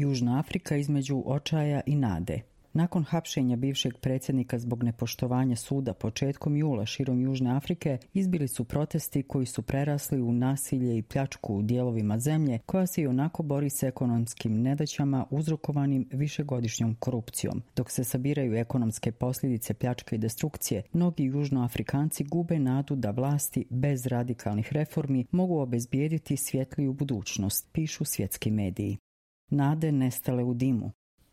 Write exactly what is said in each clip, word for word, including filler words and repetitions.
Južna Afrika između očaja i nade. Nakon hapšenja bivšeg predsjednika zbog nepoštovanja suda početkom jula širom Južne Afrike, izbili su protesti koji su prerasli u nasilje i pljačku u dijelovima zemlje koja se i onako bori s ekonomskim nedaćama uzrokovanim višegodišnjom korupcijom. Dok se sabiraju ekonomske posljedice pljačke i destrukcije, mnogi južnoafrikanci gube nadu da vlasti bez radikalnih reformi mogu obezbijediti svjetliju budućnost, pišu svjetski mediji. Nade nestale u dimu.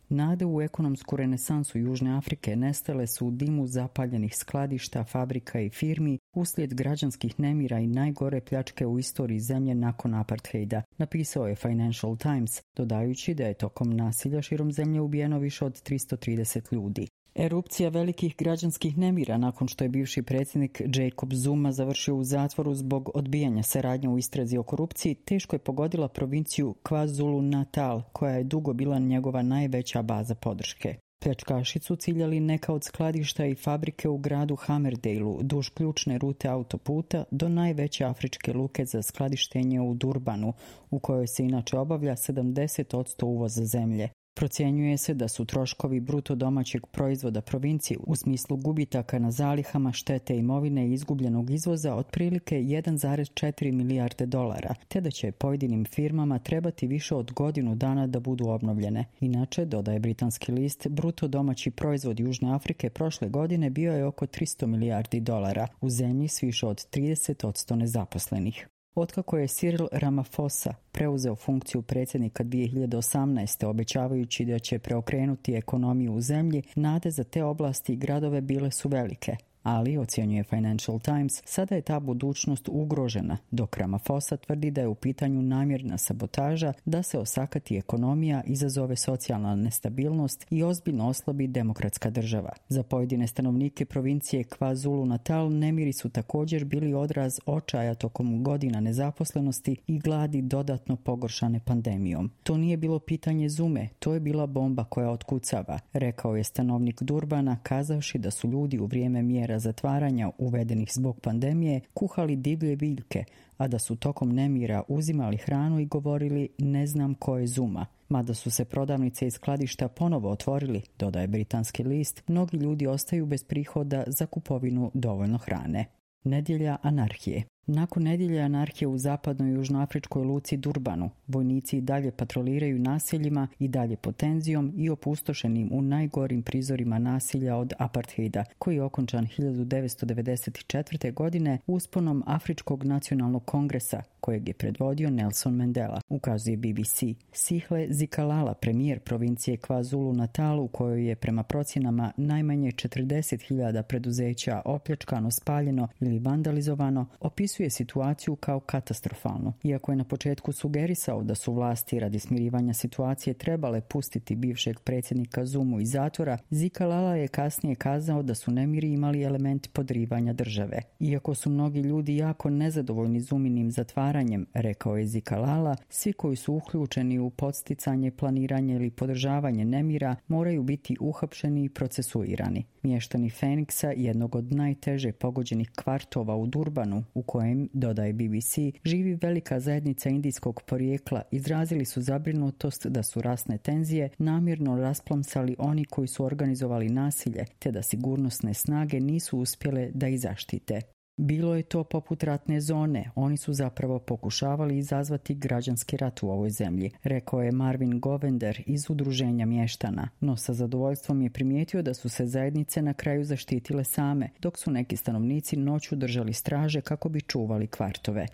Nade u ekonomsku renesansu Južne Afrike nestale su u dimu zapaljenih skladišta, fabrika i firmi uslijed građanskih nemira i najgore pljačke u istoriji zemlje nakon apartheida, napisao je Financial Times, dodajući da je tokom nasilja širom zemlje ubijeno više od tristo trideset ljudi. Erupcija velikih građanskih nemira nakon što je bivši predsjednik Jacob Zuma završio u zatvoru zbog odbijanja saradnje u istrazi o korupciji teško je pogodila provinciju KwaZulu-Natal, koja je dugo bila njegova najveća baza podrške. Pljačkaši su ciljali neka od skladišta i fabrike u gradu Hammerdaleu duž ključne rute autoputa do najveće afričke luke za skladištenje u Durbanu, u kojoj se inače obavlja sedamdeset posto uvoza zemlje. Procjenjuje se da su troškovi bruto domaćeg proizvoda provincije u smislu gubitaka na zalihama, štete imovine i izgubljenog izvoza otprilike jedan zarez četiri milijarde dolara, te da će pojedinim firmama trebati više od godinu dana da budu obnovljene. Inače, dodaje britanski list, bruto domaći proizvod Južne Afrike prošle godine bio je oko tristo milijardi dolara, u zemlji s više od trideset posto nezaposlenih. Otkako je Cyril Ramaphosa preuzeo funkciju predsjednika dvije hiljade osamnaeste. obećavajući da će preokrenuti ekonomiju u zemlji, nade za te oblasti i gradove bile su velike. Ali, ocjenjuje Financial Times, sada je ta budućnost ugrožena, dok Ramaphosa tvrdi da je u pitanju namjerna sabotaža da se osakati ekonomija, izazove socijalna nestabilnost i ozbiljno oslabi demokratska država. Za pojedine stanovnike provincije KwaZulu-Natal nemiri su također bili odraz očaja tokom godina nezaposlenosti i gladi dodatno pogoršane pandemijom. To nije bilo pitanje Zume, to je bila bomba koja otkucava, rekao je stanovnik Durbana, kazavši da su ljudi u vrijeme mjera zatvaranja uvedenih zbog pandemije kuhali divlje biljke, a da su tokom nemira uzimali hranu i govorili ne znam ko je Zuma. Mada su se prodavnice i skladišta ponovo otvorili, dodaje britanski list, mnogi ljudi ostaju bez prihoda za kupovinu dovoljno hrane. Nedjelja anarhije. Nakon nedjelje anarhije u zapadnoj južnoafričkoj luci Durbanu, vojnici i dalje patroliraju naseljima i dalje pod tenzijom i opustošenim u najgorim prizorima nasilja od apartheida, koji je okončan hiljadu devetsto devedeset četvrte. godine usponom Afričkog nacionalnog kongresa, kojeg je predvodio Nelson Mandela, ukazuje B B C. Sihle Zikalala, premijer provincije KwaZulu-Natal, u kojoj je prema procjenama najmanje četrdeset hiljada preduzeća opljačkano, spaljeno ili vandalizovano, opisuje situaciju kao katastrofalnu. Iako je na početku sugerisao da su vlasti radi smirivanja situacije trebale pustiti bivšeg predsjednika Zumu iz zatvora, Zikalala je kasnije kazao da su nemiri imali element podrivanja države. Iako su mnogi ljudi jako nezadovoljni Zuminim zatvaranjem, rekao je Zikalala, svi koji su uključeni u podsticanje, planiranje ili podržavanje nemira moraju biti uhapšeni i procesuirani. Mještani Feniksa, jednog od najteže pogođenih kvartova u Durbanu, u kojem, dodaje B B C, živi velika zajednica indijskog porijekla, izrazili su zabrinutost da su rasne tenzije namjerno rasplamsali oni koji su organizovali nasilje, te da sigurnosne snage nisu uspjele da ih zaštite. Bilo je to poput ratne zone, oni su zapravo pokušavali izazvati građanski rat u ovoj zemlji, rekao je Marvin Govender iz udruženja mještana, no sa zadovoljstvom je primijetio da su se zajednice na kraju zaštitile same, dok su neki stanovnici noću držali straže kako bi čuvali kvartove.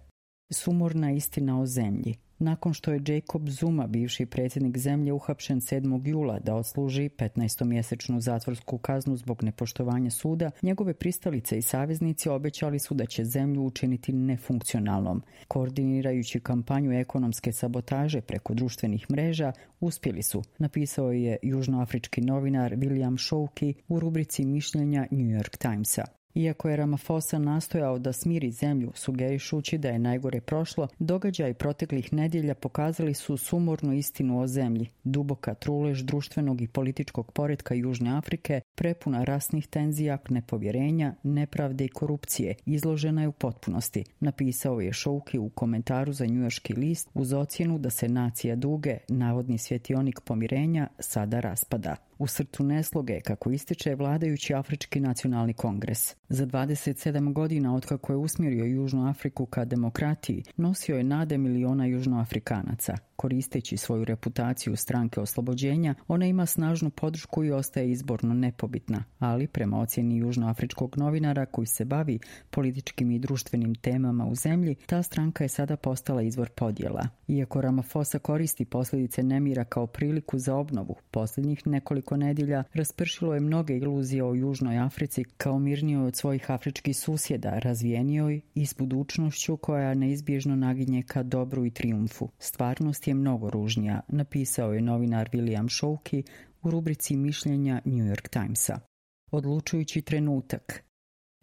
Sumorna istina o zemlji. Nakon što je Jacob Zuma, bivši predsjednik zemlje, uhapšen sedmog jula da odsluži petnaestomjesečnu zatvorsku kaznu zbog nepoštovanja suda, njegove pristalice i saveznici obećali su da će zemlju učiniti nefunkcionalnom. Koordinirajući kampanju ekonomske sabotaže preko društvenih mreža, uspjeli su, napisao je južnoafrički novinar William Shouki u rubrici mišljenja New York Timesa. Iako je Ramaphosa nastojao da smiri zemlju, sugerišući da je najgore prošlo, događaji proteklih nedjelja pokazali su sumornu istinu o zemlji. Duboka trulež društvenog i političkog poretka Južne Afrike, prepuna rasnih tenzija, nepovjerenja, nepravde i korupcije, izložena je u potpunosti, napisao je Shouki u komentaru za njujorški list uz ocjenu da se nacija duge, navodni svjetionik pomirenja, sada raspada. U srcu nesloge, kako ističe vladajući Afrički nacionalni kongres. Za dvadeset sedam godina otkako je usmjerio Južnu Afriku ka demokratiji, nosio je nade miliona južnoafrikanaca. Koristeći svoju reputaciju stranke oslobođenja, ona ima snažnu podršku i ostaje izborno nepobitna, ali prema ocjeni južnoafričkog novinara koji se bavi političkim i društvenim temama u zemlji, ta stranka je sada postala izvor podjela. Iako Ramaphosa koristi posljedice nemira kao priliku za obnovu, posljednjih nekoliko nedjelja raspršilo je mnoge iluzije o Južnoj Africi kao mirnijoj od svojih afričkih susjeda, razvijenijoj i s budućnošću koja neizbježno naginje ka dobru i trijumfu. Stvarnost je mnogo ružnija, napisao je novinar William Shouki u rubrici mišljenja New York Timesa. Odlučujući trenutak.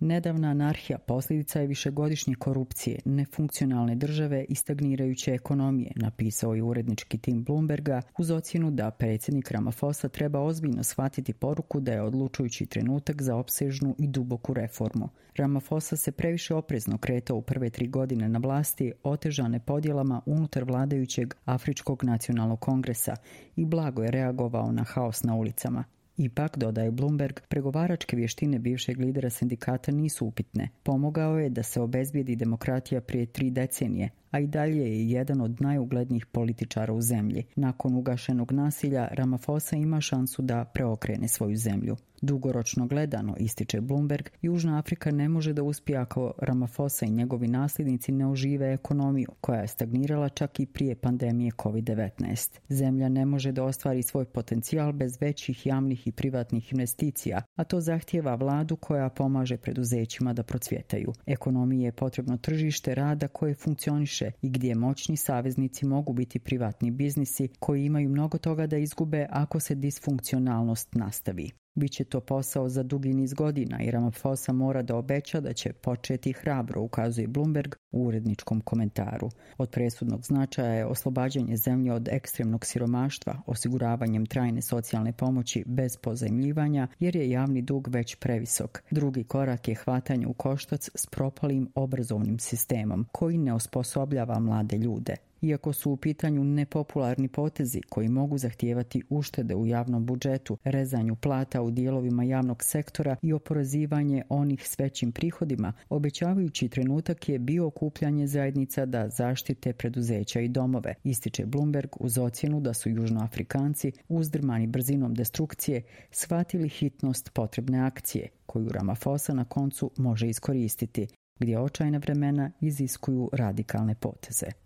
Nedavna anarhija posljedica je višegodišnje korupcije, nefunkcionalne države i stagnirajuće ekonomije, napisao je urednički tim Bloomberga uz ocjenu da predsjednik Ramaphosa treba ozbiljno shvatiti poruku da je odlučujući trenutak za opsežnu i duboku reformu. Ramaphosa se previše oprezno kretao u prve tri godine na vlasti, otežane podjelama unutar vladajućeg Afričkog nacionalnog kongresa i blago je reagovao na haos na ulicama. Ipak, dodaje Bloomberg, pregovaračke vještine bivšeg lidera sindikata nisu upitne. Pomogao je da se obezbijedi demokratija prije tri decenije, a i dalje je jedan od najuglednijih političara u zemlji. Nakon ugašenog nasilja, Ramaphosa ima šansu da preokrene svoju zemlju. Dugoročno gledano, ističe Bloomberg, Južna Afrika ne može da uspije ako Ramaphosa i njegovi nasljednici ne ožive ekonomiju, koja je stagnirala čak i prije pandemije kovid devetnaest. Zemlja ne može da ostvari svoj potencijal bez većih javnih i privatnih investicija, a to zahtijeva vladu koja pomaže preduzećima da procvjetaju. Ekonomiji je potrebno tržište rada koje funkcioniše i gdje moćni saveznici mogu biti privatni biznisi koji imaju mnogo toga da izgube ako se disfunkcionalnost nastavi. Biće to posao za dugi niz godina i Ramaphosa mora da obeća da će početi hrabro, ukazuje Bloomberg u uredničkom komentaru. Od presudnog značaja je oslobađanje zemlje od ekstremnog siromaštva, osiguravanjem trajne socijalne pomoći bez pozajmljivanja, jer je javni dug već previsok. Drugi korak je hvatanje u koštac s propalim obrazovnim sistemom, koji ne osposobljava mlade ljude. Iako su u pitanju nepopularni potezi koji mogu zahtijevati uštede u javnom budžetu, rezanju plata u dijelovima javnog sektora i oporezivanje onih s većim prihodima, obećavajući trenutak je bio okupljanje zajednica da zaštite preduzeća i domove, ističe Bloomberg uz ocjenu da su Južnoafrikanci, uzdrmani brzinom destrukcije, shvatili hitnost potrebne akcije, koju Ramaphosa na koncu može iskoristiti, gdje očajna vremena iziskuju radikalne poteze.